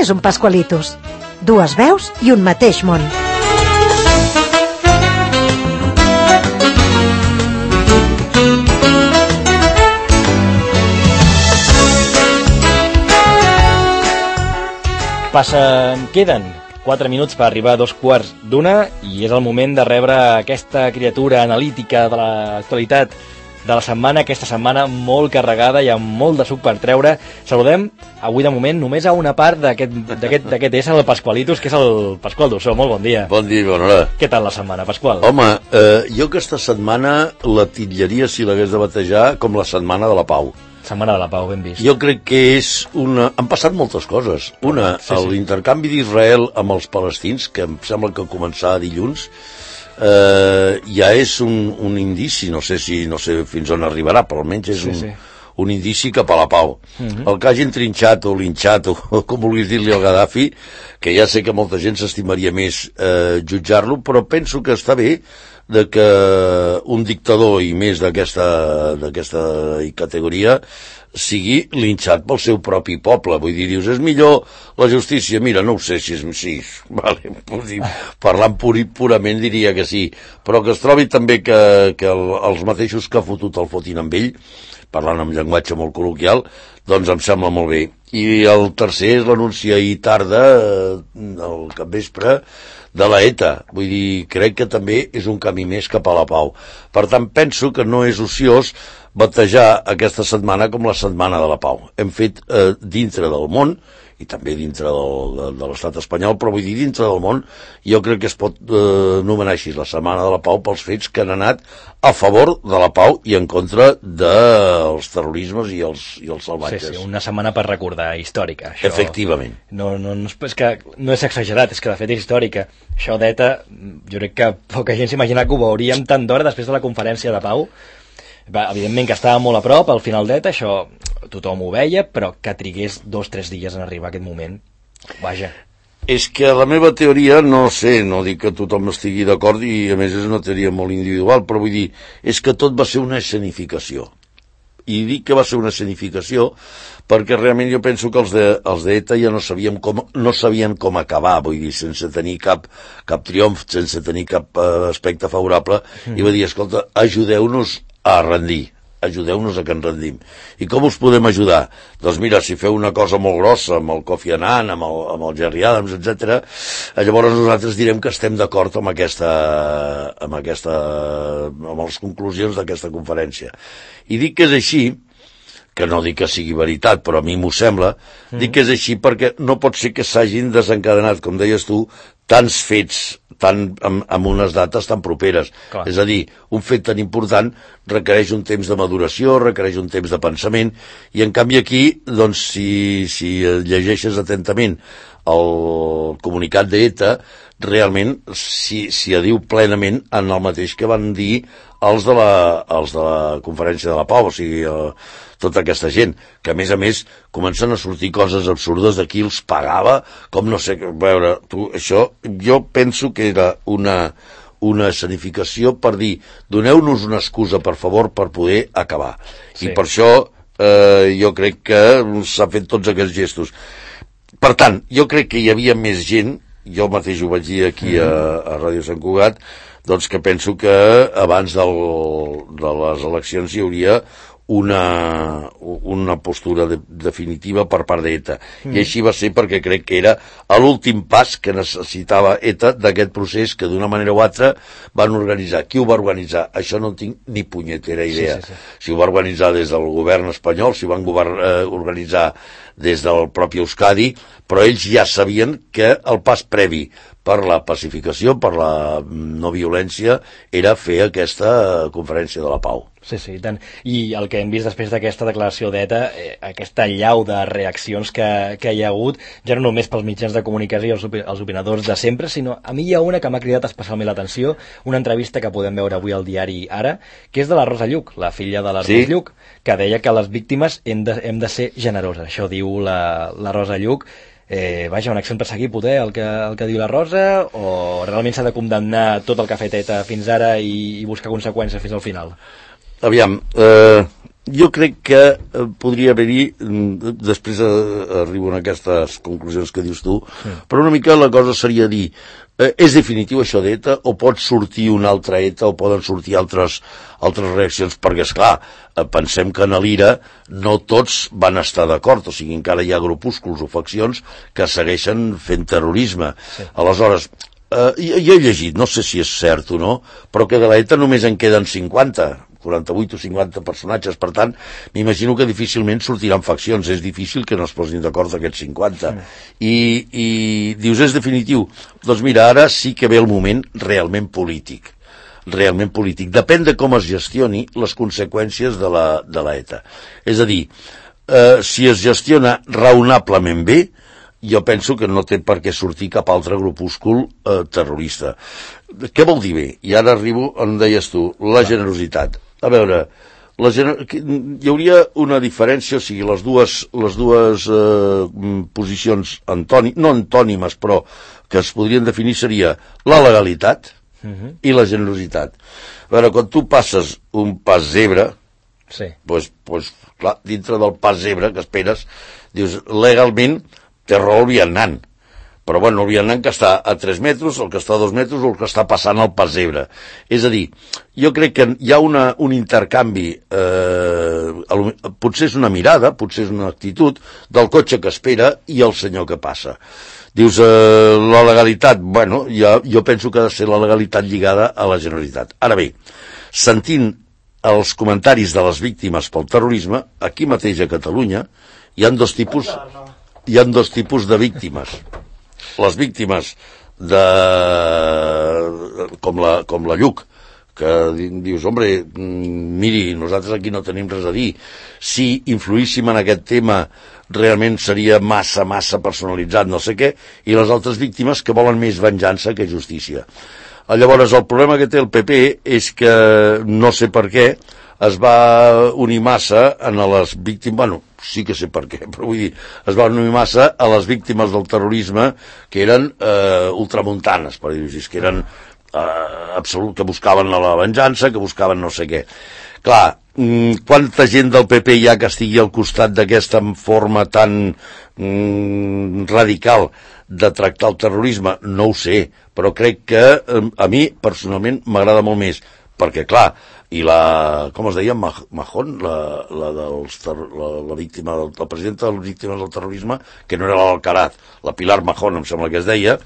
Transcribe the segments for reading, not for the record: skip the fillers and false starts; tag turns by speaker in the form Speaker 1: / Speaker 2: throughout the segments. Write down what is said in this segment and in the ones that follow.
Speaker 1: és un Pascualitos? Dues veus i un mateix món.
Speaker 2: Queden 4 minuts per arribar a 2:15 i és el moment de rebre aquesta criatura analítica de l'actualitat de la setmana, aquesta setmana molt carregada i amb molt de suc per treure. Saludem avui de moment només a una part d'aquest ésser, el Pascualitos, que és el Pasqual Dussó. Molt bon dia.
Speaker 3: Bon dia i bona hora.
Speaker 2: Què tal la setmana, Pasqual?
Speaker 3: Home, jo aquesta setmana la titllaria, si l'hagués de batejar, com la setmana de la pau.
Speaker 2: Setmana de la pau, ben vist.
Speaker 3: Jo crec que és una... Han passat moltes coses. Una, l'intercanvi d'Israel amb els palestins, que em sembla que començava dilluns, ja és un indici, no sé fins on arribarà, però almenys és un indici cap a la pau. El que hagin trinxat o linxat, o com vulguis dir-li al Gaddafi, que ja sé que molta gent s'estimaria més jutjar-lo, però penso que està bé de que un dictador i més d'aquesta categoria sigui linxat pel seu propi poble. Vull dir, dius, és millor la justícia? Mira, no ho sé si és... Sí, vale, parlant purament diria que sí, però que es trobi també que els mateixos que ha fotut el fotin amb ell, parlant amb llenguatge molt col·loquial, doncs em sembla molt bé. I el tercer és l'anunci ahir tarda, al capvespre, de la ETA. Vull dir, crec que també és un camí més cap a la pau. Per tant, penso que no és ociós batejar aquesta setmana com la setmana de la pau. Hem fet dintre del món, i també dintre de l'estat espanyol, però vull dir, dintre del món, jo crec que es pot anomenar així la setmana de la pau pels fets que han anat a favor de la pau i en contra dels terrorismes i els salvatges.
Speaker 2: Sí, una setmana per recordar, històrica. Això,
Speaker 3: efectivament.
Speaker 2: No és exagerat, és que de fet és històrica. Això d'ETA, jo crec que poca gent s'imagina que ho veuríem tant d'hora després de la conferència de pau. Evidentment que estava molt a prop al final d'ETA, això tothom ho veia, però que trigués 2 o 3 dies en arribar a aquest moment, vaja.
Speaker 3: És que la meva teoria, no sé, no dic que tothom estigui d'acord i a més és una teoria molt individual, però vull dir, és que tot va ser una escenificació. I dic que va ser una escenificació perquè realment jo penso que els d'ETA ja no sabien com acabar, vull dir, sense tenir cap triomf, sense tenir cap aspecte favorable, i va dir, escolta, ajudeu-nos a rendir, ajudeu-nos a que ens rendim. I com us podem ajudar? Doncs mira, si feu una cosa molt grossa amb el Kofi Annan, amb el Jerry Adams, etc., llavors nosaltres direm que estem d'acord amb les conclusions d'aquesta conferència. I dic que és així, que no dic que sigui veritat, però a mi m'ho sembla, dic que és així perquè no pot ser que s'hagin desencadenat, com deies tu, tants fets amb unes dates tan properes. Clar. És a dir, un fet tan important requereix un temps de maduració, requereix un temps de pensament, i en canvi aquí, doncs, si llegeixes atentament el comunicat d'ETA, realment s'hi adiu plenament en el mateix que van dir els de la conferència de la pau, o sigui, tota aquesta gent, que a més comencen a sortir coses absurdes de qui els pagava, com no sé, a veure, això jo penso que era una escenificació per dir, doneu-nos una excusa, per favor, per poder acabar. Sí. I per això jo crec que s'han fet tots aquests gestos. Per tant, jo crec que hi havia més gent, jo mateix ho vaig dir aquí a Ràdio Sant Cugat, doncs que penso que abans de les eleccions hi hauria una postura definitiva per part d'ETA. I així va ser perquè crec que era l'últim pas que necessitava ETA d'aquest procés que d'una manera o altra van organitzar. Qui ho va organitzar? Això no en tinc ni punyetera idea. Sí. Si ho va organitzar des del govern espanyol, si ho van organitzar des del propi Euskadi, però ells ja sabien que el pas previ per la pacificació, per la no violència, era fer aquesta conferència de la pau.
Speaker 2: Sí, i tant. I el que hem vist després d'aquesta declaració d'ETA, aquesta llau de reaccions que hi ha hagut, ja no només pels mitjans de comunicació i els opinadors de sempre, sinó a mi hi ha una que m'ha cridat especialment l'atenció, una entrevista que podem veure avui al diari Ara, que és de la Rosa Lluch, la filla de l'Ernest Lluch, que deia que les víctimes hem de ser generoses. Això diu la Rosa Lluch. Un exemple per seguir, poder, el que diu la Rosa, o realment s'ha de condemnar tot el que ha fet ETA fins ara i buscar conseqüències fins al final?
Speaker 3: Aviam, jo crec que podria haver-hi, després arribo a aquestes conclusions que dius tu, però una mica la cosa seria dir, és definitiu això d'ETA, o pot sortir una altra ETA, o poden sortir altres reaccions, perquè, esclar, pensem que en l'IRA no tots van estar d'acord, o sigui, encara hi ha grupúsculs o faccions que segueixen fent terrorisme. Sí. Aleshores, jo he llegit, no sé si és cert o no, però que de l'ETA només en queden 48 o 50 personatges, per tant, m'imagino que difícilment sortiran faccions, és difícil que no es posin d'acord aquests 50. I dius, és definitiu? Doncs mira, ara sí que ve el moment realment polític. Depèn de com es gestioni les conseqüències de l'ETA. És a dir, si es gestiona raonablement bé, jo penso que no té per què sortir cap altre grupúscul terrorista. Què vol dir bé? I ara arribo on deies tu, la generositat. A veure, hi hauria una diferència, o sigui, les dues posicions no antònimes, però que es podrien definir seria la legalitat i la generositat. A veure, quan tu passes un pas zebra, sí. Pues, clar, dintre del pas zebra que esperes, dius, legalment té raó el vianant, però bueno, el vianant que està a 3 metres, el que està a 2 metres o el que està passant al pas zebra. És a dir, jo crec que hi ha un intercanvi, potser és una mirada, potser és una actitud del cotxe que espera i el senyor que passa. Dius, la legalitat, bueno, jo penso que ha de ser la legalitat lligada a la generositat. Ara bé, sentint els comentaris de les víctimes pel terrorisme, aquí mateix a Catalunya hi ha dos tipus de víctimes. Les víctimes com la Lluc, que dius, hombre, miri, nosaltres aquí no tenim res a dir. Si influíssim en aquest tema realment seria massa personalitzat, no sé què, i les altres víctimes que volen més venjança que justícia. Llavors, el problema que té el PP és que, no sé per què, es va unir massa a les víctimes, bueno, sí que sé per què, però vull dir, es va unir massa a les víctimes del terrorisme que eren ultramuntanes, per dir-ho així, que eren que buscaven la venjança, que buscaven no sé què. Clar, quanta gent del PP hi ha que estigui al costat d'aquesta forma tan radical de tractar el terrorisme? No ho sé, però crec que a mi, personalment, m'agrada molt més, perquè, clar, i com es deia, Mahón, la víctima, la presidenta de les víctimes del terrorisme, que no era l'Alcaraz, la Pilar Mahón, em sembla que es deia,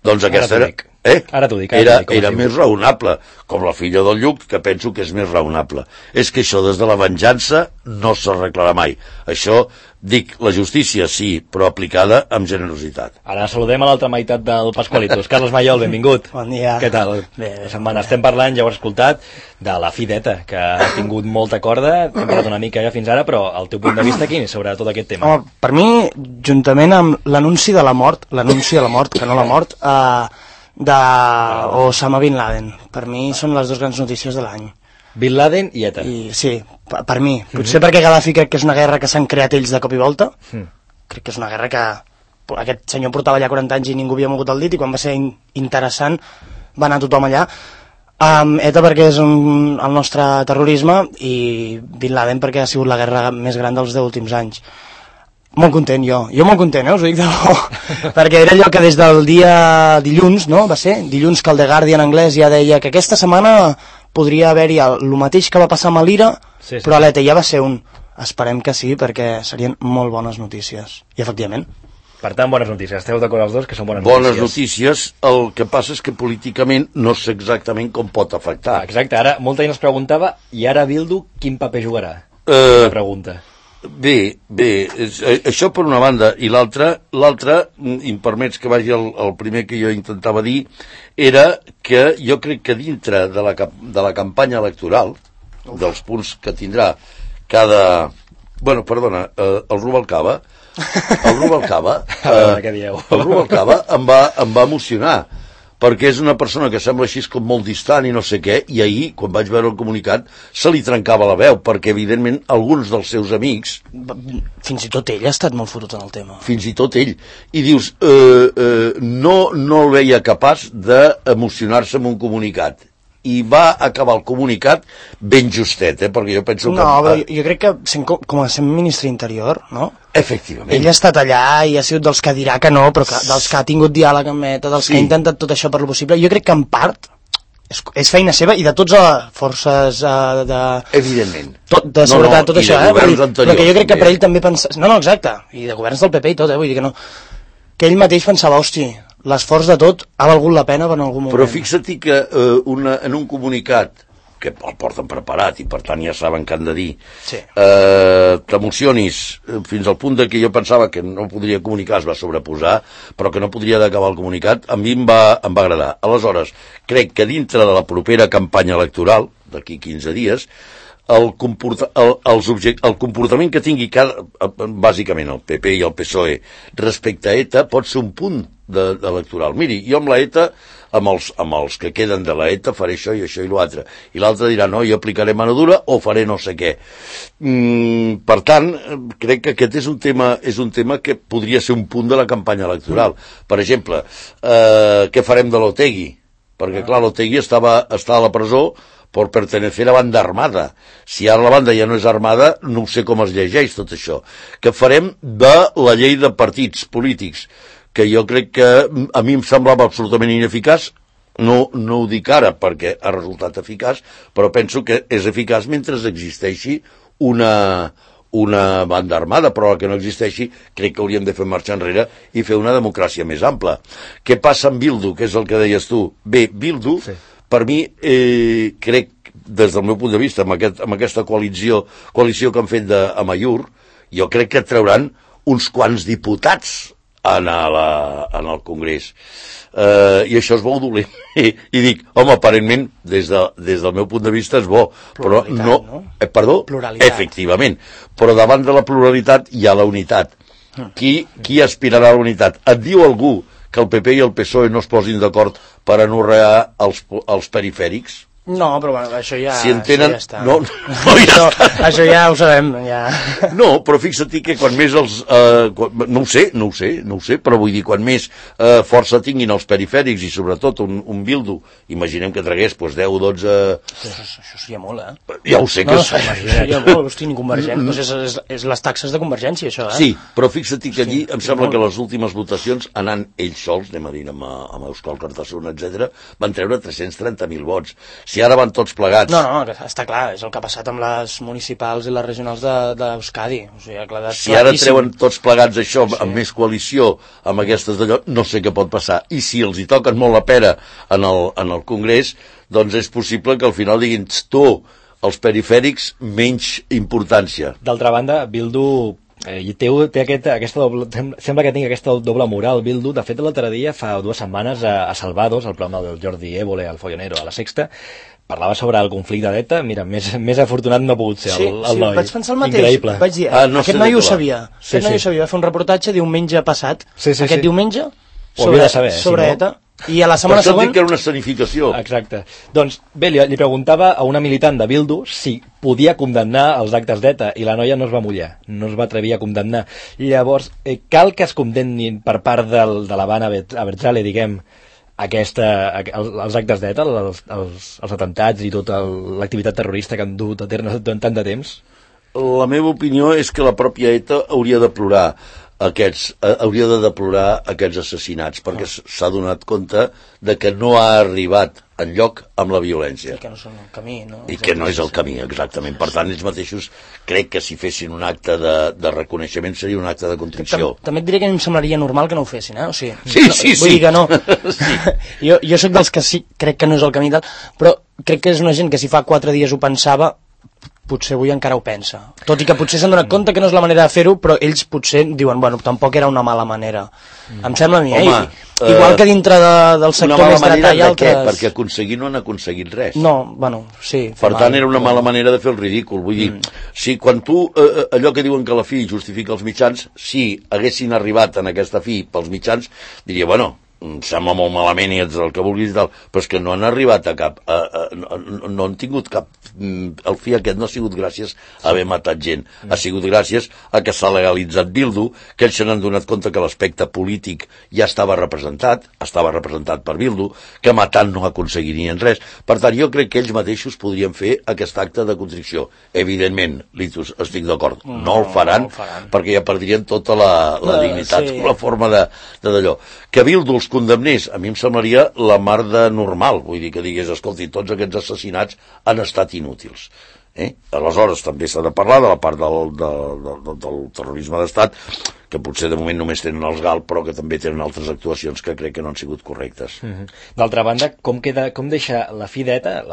Speaker 3: doncs aquesta era...
Speaker 2: Ara t'ho dic.
Speaker 3: Era més raonable, com la filla del Lluc, que penso que és més raonable. És que això des de la venjança no s'arreglarà mai. Això, dic, la justícia sí, però aplicada amb generositat.
Speaker 2: Ara saludem a l'altra meitat del Pasqualitos. Carles Maiol, benvingut.
Speaker 4: Bon dia.
Speaker 2: Què tal?
Speaker 4: Bé.
Speaker 2: La setmana estem parlant, ja ho has escoltat, de la fi d'ETA, que ha tingut molta corda, hem parlat una mica ja fins ara, però el teu punt de vista quin és sobre tot aquest tema?
Speaker 4: Home, per mi, juntament amb l'anunci de la mort, que no la mort, d'Osama Bin Laden. Per mi són les dues grans notícies de l'any.
Speaker 2: Bin Laden i ETA.
Speaker 4: Sí, per mi. Potser perquè Gaddafi crec que és una guerra que s'han creat ells de cop i volta. Crec que és una guerra que aquest senyor portava allà 40 anys i ningú havia mogut el dit, i quan va ser interessant va anar tothom allà. ETA perquè és el nostre terrorisme, i Bin Laden perquè ha sigut la guerra més gran dels 10 últims anys. Molt content, jo molt content, us ho dic de bo, perquè era allò que des del dia dilluns, no? Va ser dilluns, que el The Guardian anglès ja deia que aquesta setmana podria haver-hi el mateix que va passar amb l'IRA, sí. Però l'ETA ja va ser esperem que sí, perquè serien molt bones notícies, i efectivament.
Speaker 2: Per tant, bones notícies, esteu d'acord els dos que són bones
Speaker 3: notícies, el que passa és que políticament no sé exactament com pot afectar.
Speaker 2: Exacte, ara molta gent es preguntava, i ara Bildu quin paper jugarà? Una pregunta.
Speaker 3: Bé, això per una banda, i l'altra, i em permets que vagi el primer que jo intentava dir, era que jo crec que dintre de la campanya electoral, dels punts que tindrà cada... Bueno, perdona, el Rubalcaba em va emocionar, perquè és una persona que sembla així com molt distant i no sé què, i ahir, quan vaig veure el comunicat, se li trencava la veu, perquè evidentment alguns dels seus amics...
Speaker 4: Fins i tot ell ha estat molt fotut en el tema.
Speaker 3: Fins i tot ell. I dius, no el veia capaç d'emocionar-se amb un comunicat. i va acabar el comunicat ben justet, perquè jo penso que...
Speaker 4: No, però jo crec que com a sent ministre interior, no?
Speaker 3: Efectivament.
Speaker 4: Ell ha estat allà i ha sigut dels que dirà que no, però dels que ha tingut diàleg amb ETA, dels que ha intentat tot això per lo possible. Jo crec que en part és feina seva i de tots les forces
Speaker 3: evidentment.
Speaker 4: De seguretat, tot això, però que jo crec que per ell també pensava... No, exacte, i de governs del PP i tot, vull dir que no... Que ell mateix pensava, hosti, l'esforç de tot ha valgut la pena en algun moment.
Speaker 3: Però fixa't que en un comunicat que el porten preparat i per tant ja saben què han de dir, t'emocionis fins al punt que jo pensava que no podria comunicar, es va sobreposar, però que no podria acabar el comunicat, a mi em va agradar. Aleshores, crec que dintre de la propera campanya electoral, d'aquí 15 dies, el comportament que tingui bàsicament el PP i el PSOE respecte a ETA pot ser un punt electoral. Miri, jo amb la ETA, amb els que queden de la ETA faré això i l'altre. I l'altre dirà, no, jo aplicaré mano dura o faré no sé què. Per tant, crec que aquest és un tema que podria ser un punt de la campanya electoral. Per exemple, què farem de l'Otegi? Perquè, clar, l'Otegi està a la presó per pertenecer a banda armada. Si ara la banda ja no és armada, no sé com es llegeix tot això. Què farem de la llei de partits polítics? Que jo crec que a mi em semblava absolutament ineficaç, no ho dic ara perquè ha resultat eficaç, però penso que és eficaç mentre existeixi una banda armada, però la que no existeixi crec que hauríem de fer marxa enrere i fer una democràcia més ampla. Què passa amb Bildu, que és el que deies tu? Bé, Bildu, per mi, crec, des del meu punt de vista, amb aquesta coalició que han fet a Amaiur, jo crec que trauran uns quants diputats en el Congrés. I això és bo o dolent. I dic, home, aparentment, des del meu punt de vista és bo.
Speaker 4: Pluralitat,
Speaker 3: però
Speaker 4: no?
Speaker 3: Perdó?
Speaker 4: Pluralitat.
Speaker 3: Efectivament. Però davant de la pluralitat hi ha la unitat. Qui aspirarà a la unitat? Et diu algú que el PP i el PSOE no es posin d'acord per anorrear els perifèrics?
Speaker 4: No, però bueno, això ja...
Speaker 3: Si entenen...
Speaker 4: Això ja està.
Speaker 3: No,
Speaker 4: això ja ho sabem, ja...
Speaker 3: No, però fixa't que quan més els... no ho sé, però vull dir, quan més força tinguin els perifèrics i sobretot un Bildu, imaginem que tragués 10 o 12...
Speaker 4: Això seria molt,
Speaker 3: Ja ho sé que...
Speaker 4: No, seria molt, hosti, ni Convergent. És les taxes de Convergència, això,
Speaker 3: Sí, però fixa't que allí em sembla que les últimes votacions, anant ells sols, anem a dir, amb Euskal Cartasun, etc., van treure 330.000 vots. Si ara van tots plegats...
Speaker 4: No, està clar, és el que ha passat amb les municipals i les regionals d'Euskadi. O sigui,
Speaker 3: si ara treuen tots plegats això, amb més coalició, amb aquestes d'allò, no sé què pot passar. I si els hi toquen molt la pera en el Congrés, doncs és possible que al final diguin, tu, els perifèrics, menys importància.
Speaker 2: D'altra banda, Bildu... té aquesta doble, sembla que tingui aquesta doble moral, Bildu. De fet, l'altre dia, fa 2 setmanes, a Salvados, el programa del Jordi Évole, al Follonero, a la Sexta, parlava sobre el conflicte d'ETA. Mira, més afortunat no ha pogut ser el noi.
Speaker 4: Vaig pensar el mateix.
Speaker 2: Increïble.
Speaker 4: Vaig dir, aquest noi ho sabia. Aquest noi ho sabia. Va fer un reportatge diumenge passat. Aquest diumenge sobre ETA. I a la setmana següent...
Speaker 3: que era una escenificació.
Speaker 2: Exacte. Doncs bé, li preguntava a una militant de Bildu si podia condemnar els actes d'ETA i la noia no es va mullar, no es va atrevir a condemnar. Llavors, cal que es condemnin per part de l'Havana Abertzale, diguem, els actes d'ETA, els atentats i tota l'activitat terrorista que han dut a terme durant tant de temps?
Speaker 3: La meva opinió és que la pròpia ETA hauria de deplorar aquests assassinats, perquè s'ha donat compte de que no ha arribat enlloc amb la violència.
Speaker 4: I que no són el camí, no?
Speaker 3: I que no és el camí, exactament. Per tant, ells mateixos crec que si fessin un acte de reconeixement seria un acte de contrició.
Speaker 4: També et diré que a mi em semblaria normal que no ho fessin, O sigui,
Speaker 3: sí.
Speaker 4: Vull dir que no. Jo soc dels que sí, crec que no és el camí tal, però crec que és una gent que si fa 4 dies ho pensava, potser avui encara ho pensa. Tot i que potser s'han donat compte que no és la manera de fer-ho, però ells potser diuen, bueno, tampoc era una mala manera. Em sembla a mi, igual que dintre del sector més dretà hi ha altres...
Speaker 3: Perquè aconseguir no han aconseguit res.
Speaker 4: No, bueno, sí.
Speaker 3: Per tant, era una mala manera de fer el ridícul. Vull dir, si quan tu, allò que diuen que la fi justifica els mitjans, si haguessin arribat en aquesta fi pels mitjans, diria, bueno, em sembla molt malament i ets el que vulguis i tal, però és que no han arribat a cap no han tingut cap el fi aquest no ha sigut gràcies a haver matat gent, ha sigut gràcies a que s'ha legalitzat Bildu, que ells se n'han donat compte que l'aspecte polític ja estava representat per Bildu, que matant no aconseguirien res. Per tant, jo crec que ells mateixos podrien fer aquest acte de contrició. Evidentment, Litus, estic d'acord, no el faran perquè ja perdrien tota la dignitat, la forma d'allò. Que Bildu els condemnés, a mi em semblaria la mar de normal, vull dir que digués, escolti, tots aquests assassinats han estat inútils. Aleshores també s'ha de parlar de la part del terrorisme d'estat, que potser de moment només tenen els GAL, però que també tenen altres actuacions que crec que no han sigut correctes.
Speaker 2: D'altra banda, com deixa la fi d'ETA,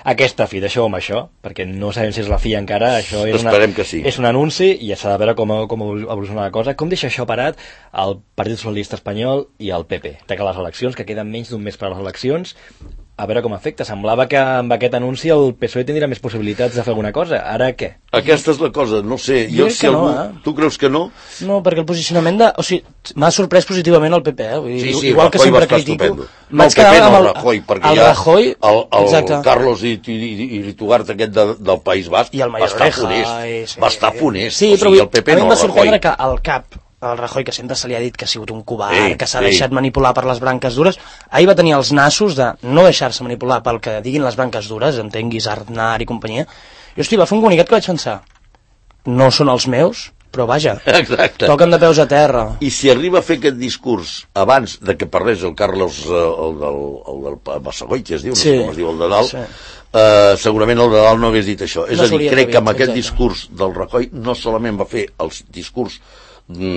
Speaker 2: aquesta fi, deixeu-ho amb això, perquè no sabem si és la fi encara, això és un anunci i ja s'ha de veure com evoluciona la cosa. Com deixa això parat el Partit Socialista Espanyol i el PP? Que les eleccions, que queden menys d'un mes per a les eleccions, a veure com afecta. Semblava que amb aquest anunci el PSOE tindria més possibilitats de fer alguna cosa. Ara què?
Speaker 3: Aquesta és la cosa, no sé. Tu creus que no?
Speaker 4: No, perquè el posicionament o sigui, m'ha sorprès positivament el PP,
Speaker 3: Sí,
Speaker 4: igual que sempre critico.
Speaker 3: No, el PP no, el Rajoy, perquè
Speaker 4: el Rajoy,
Speaker 3: el Carlos Iritugart aquest del País Basc va estar funest. Va estar funest.
Speaker 4: Sí, però a mi em va sorprendre que el cap el Rajoy, que sempre se li ha dit que ha sigut un covard, que s'ha deixat manipular per les branques dures, ahir va tenir els nassos de no deixar-se manipular pel que diguin les branques dures, entenguis Aznar i companyia, i hosti, va fer un comunicat que vaig pensar, no són els meus, però vaja, toquen de peus a terra.
Speaker 3: I si arriba a fer aquest discurs abans de que parlés el Carlos, el del Bassagoy, es diu, no sé com es diu, el de dalt, segurament el de dalt no hagués dit això. És a dir, crec que amb aquest discurs del Rajoy no solament va fer el discurs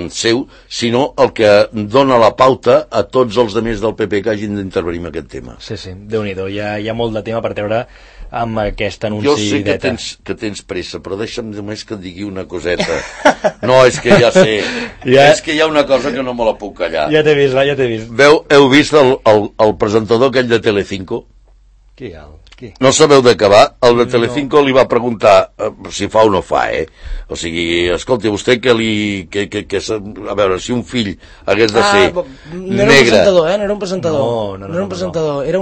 Speaker 3: seu, sinó el que dona la pauta a tots els altres del PP que hagin d'intervenir en aquest tema.
Speaker 2: Sí, Déu-n'hi-do, hi ha molt de tema per treure amb aquest anunci d'ETA.
Speaker 3: Jo sé que tens pressa, però deixa'm només que et digui una coseta. No, és que ja sé, és que hi ha una cosa que no me la puc callar.
Speaker 2: Ja t'he vist.
Speaker 3: Heu vist el presentador aquell de Telecinco?
Speaker 2: Qui?
Speaker 3: No sabeu de què va? El de Telecinco li va preguntar si fa o no fa, O sigui, escolti, vostè a veure, si un fill hagués de ser negre...
Speaker 4: No era un presentador, no era un presentador, era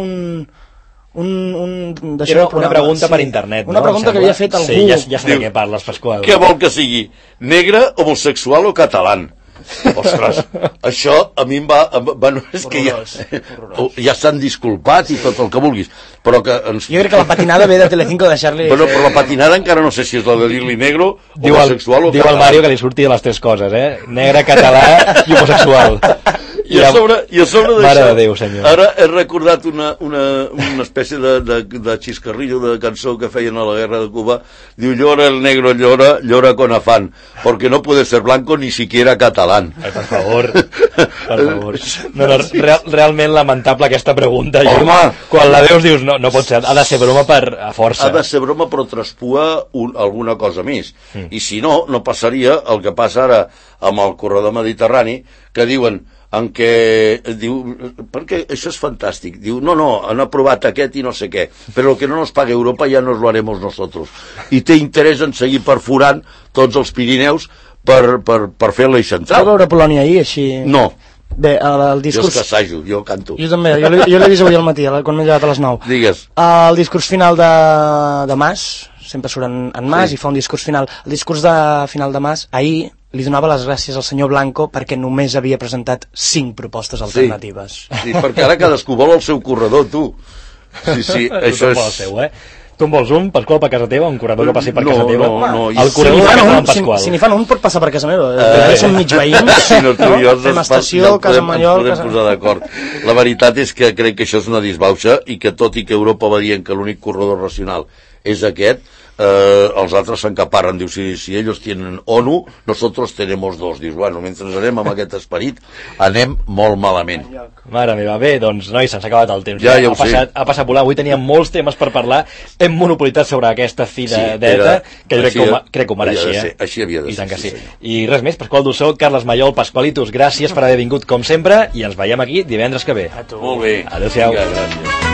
Speaker 2: una pregunta per internet,
Speaker 4: una pregunta que havia fet algú.
Speaker 2: Sí, ja sé de què parles, Pasqual.
Speaker 3: Què vol que sigui? Negre, homosexual o català? Ostres, això a mi em va... Bueno, és que ja s'han disculpat i tot el que vulguis, però que...
Speaker 4: Jo crec que la patinada ve de Telecinco deixar-li...
Speaker 3: Bueno, però la patinada encara no sé si és la de dir-li negro, homosexual o català.
Speaker 2: Diu el Mario que li surti de les tres coses, negre, català i homosexual.
Speaker 3: I a sobre d'això, ara he recordat una espècie de xiscarrillo de cançó que feien a la guerra de Cuba. Diu, llora el negro, llora con afán, porque no puede ser blanco ni siquiera catalán.
Speaker 2: Per favor. No, realment lamentable aquesta pregunta.
Speaker 3: Home,
Speaker 2: quan la veus dius, no pot ser, ha de ser broma a força.
Speaker 3: Ha de ser broma, però traspua alguna cosa més. I si no, no passaria el que passa ara amb el corredor mediterrani, que diuen en què diu, perquè això és fantàstic, diu, no, han aprovat aquest i no sé què, però el que no nos pague Europa ya nos lo haremos nosotros, i té interès en seguir perforant tots els Pirineus per fer l'eix central.
Speaker 4: Vas veure Polònia ahir, així?
Speaker 3: No.
Speaker 4: Bé, el discurs...
Speaker 3: Jo és que assajo, jo canto.
Speaker 4: Jo també, jo l'he vist avui al matí, quan m'he llevat a les 9.
Speaker 3: Digues.
Speaker 4: El discurs final de Mas, sempre surt en Mas i fa un discurs final. El discurs final de Mas, ahir li donava les gràcies al senyor Blanco perquè només havia presentat 5 propostes alternatives.
Speaker 3: Sí, perquè ara cadascú vol el seu corredor, tu. Sí, això és...
Speaker 2: Tu en vols un, Pasqual, per casa teva, un corredor que passi per casa teva?
Speaker 3: No.
Speaker 2: El corredor de casa Pasqual.
Speaker 4: Si n'hi fan un, pot passar per casa meva. Som mig veïns, fem estació, casa Mallol...
Speaker 3: Ens podem posar d'acord. La veritat és que crec que això és una disbauxa i que tot i que Europa va dient que l'únic corredor racional és aquest, els altres s'encaparen, diu, si ellos tienen ONU, nosotros tenemos dos. Dius, bueno, mentre anem amb aquest esperit, anem molt malament.
Speaker 2: Mare meva, bé, doncs, nois, se'ns ha acabat el temps.
Speaker 3: Ja ho sé.
Speaker 2: Ha passat volant, avui teníem molts temes per parlar, hem monopolitzat sobre aquesta fi d'ETA, que jo crec que ho mereixia.
Speaker 3: Així havia de ser.
Speaker 2: I tant que sí. I res més, Pasqual Dussó, Carles Mallol, Pasqualitos, gràcies per haver vingut com sempre, i ens veiem aquí divendres que ve.
Speaker 3: Molt bé.
Speaker 2: Adéu-siau.
Speaker 3: Gràcies.